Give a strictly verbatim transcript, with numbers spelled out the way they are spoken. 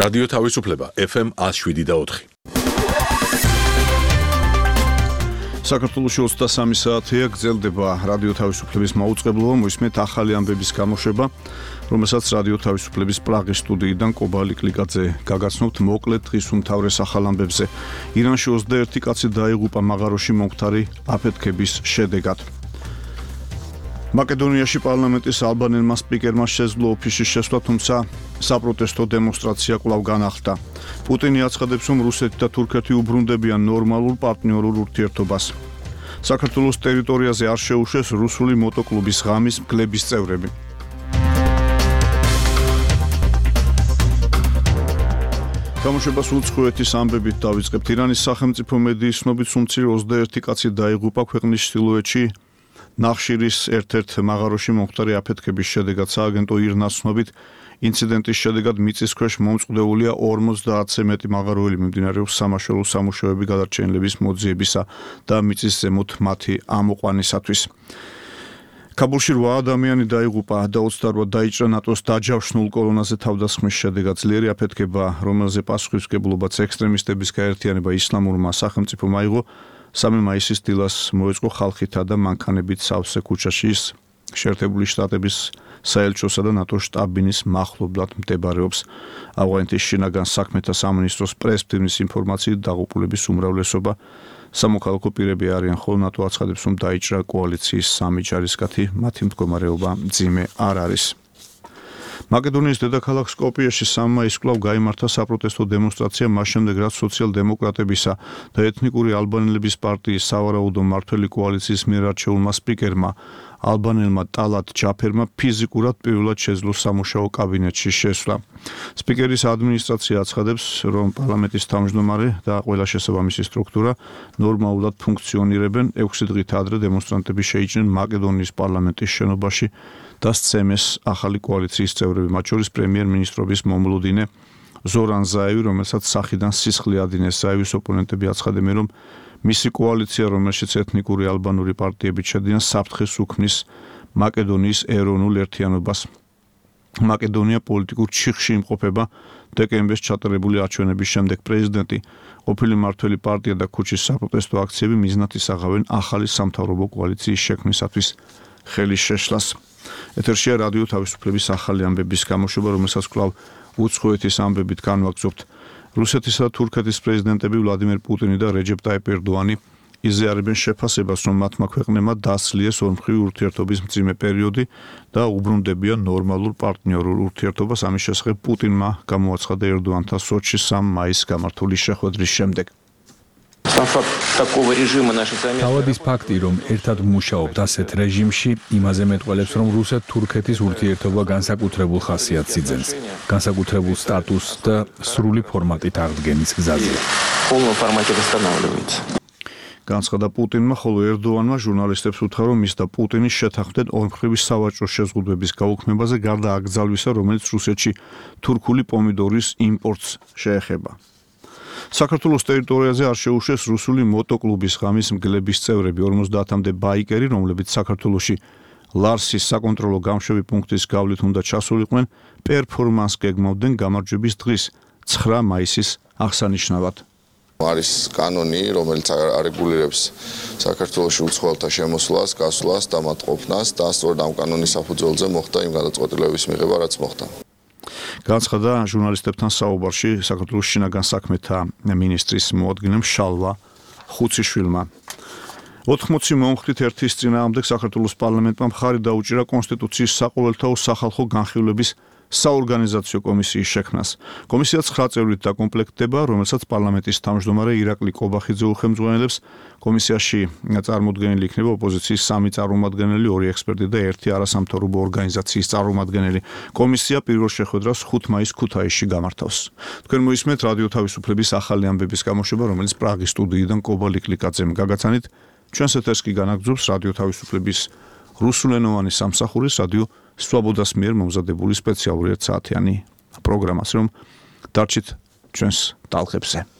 რადიო თავისუფლება ეფ ემ one oh seven და four. საქართველოში ოცდასამი საათია გრძელდება რადიო თავისუფლების მაუწყებლობა, მოისმენთ ახალი ამბების გამოშვება, რომელსაც რადიო თავისუფლების პრაღის სტუდიიდან კობალი კლიკაძე გაგაცნობთ მოკლედ დღის უმთავრეს ახალ ამბებზე. ირანში ოცდაერთი კაცი დაიღუპა მაღაროში მომხდარი აფეთქების შედეგად. მაკედონიაში პარლამენტის ალბანელმა სპიკერმა შეძლო ოფისში შესვლა, თუმცა საპროტესტო დემონსტრაცია კვლავ განახლდა. პუტინი აცხადებს, რომ რუსეთი და თურქეთი უბრუნდებიან ნორმალურ პარტნიორულ ურთიერთობას. საქართველოს ტერიტორიაზე არ შეუშვეს რუსული მოტოკლუბის ღამის მგლების წევრები. გამოშვებას უცხოეთის ამბებით დავიწყებთ. ირანის სახელმწიფო მედიის ცნობით სულ ოცდაერთი კაცი დაიღუპა ქვეყნის ჩრდილოეთში ნახშირის ერთ-ერთ მაღაროში მომხდარი აფეთქების შედეგად. სააგენტო ირნას ცნობით ინციდენტის შედეგად მიწის ქვეშ მომწყვდეულია ორმოცდაათზე მეტი მაღაროელი, მიმდინარეობს სამაშველო სამუშაოები გადარჩენილების მოძიებისა და მიწის ზემოთ მათი ამოყვანისათვის. კაბულში რვა ადამიანი დაიღუპა და ოცდარვა დაიჭრა ნატოს დაჯავშნულ კოლონაზე თავდასხმის შედეგად. ძლიერი აფეთქება, რომელზე პასუხისმგებლობაც ექსტრემისტების გაერთიანება ისლამურმა სახელმწიფომ აიღო, სამი მაისის დილას მოეწყო ხალხითა და მანქანებით სავსე ქუჩაში. ის შეერთებული შტატების საელჩოსა და ნატოს შტაბ-ბინის მახლობლად მდებარეობს. ავღანეთის შინაგან საქმეთა სამინისტროს პრეს-ბიურის ინფორმაციით დაღუპულების უმრავლესობა სამოქალაქო პირები არიან, ხოლო ნატო აცხადებს, რომ დაიჭრა კოალიციის სამი ჯარისკაცი, მათი მდგომარეობა მძიმე არ არის. მაკედონიის დედაქალაქ სკოპიეში სამი მაისს კვლავ გაიმართა საპროტესტო დემონსტრაცია, მას შემდეგ რაც სოციალ-დემოკრატებისა და ეთნიკური ალბანელების პარტიის სავარაუდო მმართველი კოალიციის მიერ არჩეულმა სპიკერმა ალბანელმა ტალატ ჯაფერმა ფიზიკურად პირველად შეძლო სამუშაო კაბინეტში შესვლა. სპიკერის ადმინისტრაცია აცხადებს, რომ პარლამენტის თავმჯდომარე და ყველა შესაბამისი სტრუქტურა ნორმალურად ფუნქციონირებენ. ექვსი დღით ადრე დემონსტრანტები შეიჭრნენ მაკედონიის პარლამენტის შენობაში და სცემეს ახალი კოალიციის წევრები, მათ შორის პრემიერ-მინისტრობის მომლუდინე ზორან ზაევი, რომელსაც სახიდან სისხლი ადინეს. ზაევის ოპონენტები აცხადებენ, რომ მისი კოალიცია, რომელშიც ეთნიკური ალბანური პარტიები შედიან, საფრთხეს უქმნის მაკედონიის ეროვნულ ერთიანობას. მაკედონია პოლიტიკურ ჩიხში იმყოფება. დეკემბერს ჩატარებული არჩევნების შემდეგ პრეზიდენტი, ყოფილი მმართველი პარტია და ქუჩის საპროტესტო აქციები მიზნად ისაღავენ ახალი სამთავრობო კოალიციის შექმნისათვის ხელის შეშლას. ეთერშია რადიო თავისუფლების ახალი ამბების გამოშვება, რომელსაც კვლავ უცხოეთის ამბებით განვაგრძობთ. რუსეთისა და თურქეთის პრეზიდენტები ვლადიმერ პუტინი და რეჯეპ ტაიპ ერდოანი იზიარებენ შეფასებას, რომ მათმა ქვეყნებმა დასლიეს ორმხრივი ურთიერთობის მძიმე პერიოდი და უბრუნდებიან ნორმალურ პარტნიორულ ურთიერთობას. ამის შესახებ პუტინმა გამოაცხადა ერდოანთან სოჩის სამი მაისს გამართული შეხვედრის შემდეგ. თავად ის ფაქტი, რომ ერთად მუშაობთ ასეთ რეჟიმში, იმაზე მეტყველებს, რომ რუსეთ-თურქეთის ურთიერთობა განსაკუთრებულ ხასიათს იძენს, განსაკუთრებულ სტატუსს და სრული ფორმატით აღდგენის გზაზე. განცხადა პუტინმა, ხოლო ერდოანმა ჟურნალისტებს უთხრა, რომ ის და პუტინი შეთანხმდნენ ორმხრივი სავაჭრო შეზღუდვების გაუქმებაზე, გარდა აკრძალვისა, რომელიც რუსეთში თურქული პომიდორის იმპორტს შეეხება. საქართველოს ტერიტორიაზე არ შეუშვეს რუსული მოტოკლუბის ღამის მგლების წევრები. ორმოცდაათამდე ბაიკერი, რომლებიც საქართველოში ლარსის საკონტროლო გამშვები პუნქტის გავლით უნდა ჩასულიყვნენ, პერფორმანსს გეგმავდნენ გამარჯვების დღის ცხრა მაისის აღსანიშნავად. არის კანონი, რომელიც არეგულირებს საქართველოში უცხოელთა შემოსვლას, გასვლას და მათ ყოფნას და სწორედ ამ კანონის საფუძველზე მოხდა იმ გადაწყვეტილებების მიღება, რაც მოხდა. განცხადა ჟურნალისტებთან საუბარში საქართველოს შინაგან საქმეთა მინისტრის მოადგილემ შალვა ხუციშვილმა. ოთხმოცი მომხრით ერთის წინააღმდეგ საქართველოს პარლამენტმა მხარი დაუჭირა კონსტიტუციის საყოველთაო სახალხო განხილვების საორგანიზაციო კომისიის შექმნას. კომისია ცხრა წევრით დაკომპლექტდება, რომელსაც პარლამენტის თავმჯდომარე ირაკლი კობახიძე უხელმძღვანელებს. კომისიაში წარმოდგენილი იქნება ოპოზიციის სამი წარმომადგენელი, ორი ექსპერტი და ერთი არასამთავრობო ორგანიზაციის წარმომადგენელი. კომისია პირველ შეხვედრას ხუთი მაისს ქუთაისში გამართავს. თქვენ მოისმენთ რადიო თავისუფლების ახალი ამბების გამოშვება, რომელიც პრაღის სტუდიიდან კობალი კლიკაძემ გაგაცანით. ჩვენს ეთერს კი განაგრძობს რადიო თავისუფლების რუსულენოვანი სამსახურის რადიო სვაბოდას მიერ მომზადებული სპეციალური ერთსაათიანი პროგრამას, რომ დარჩით ჩვენს ტალღებზე.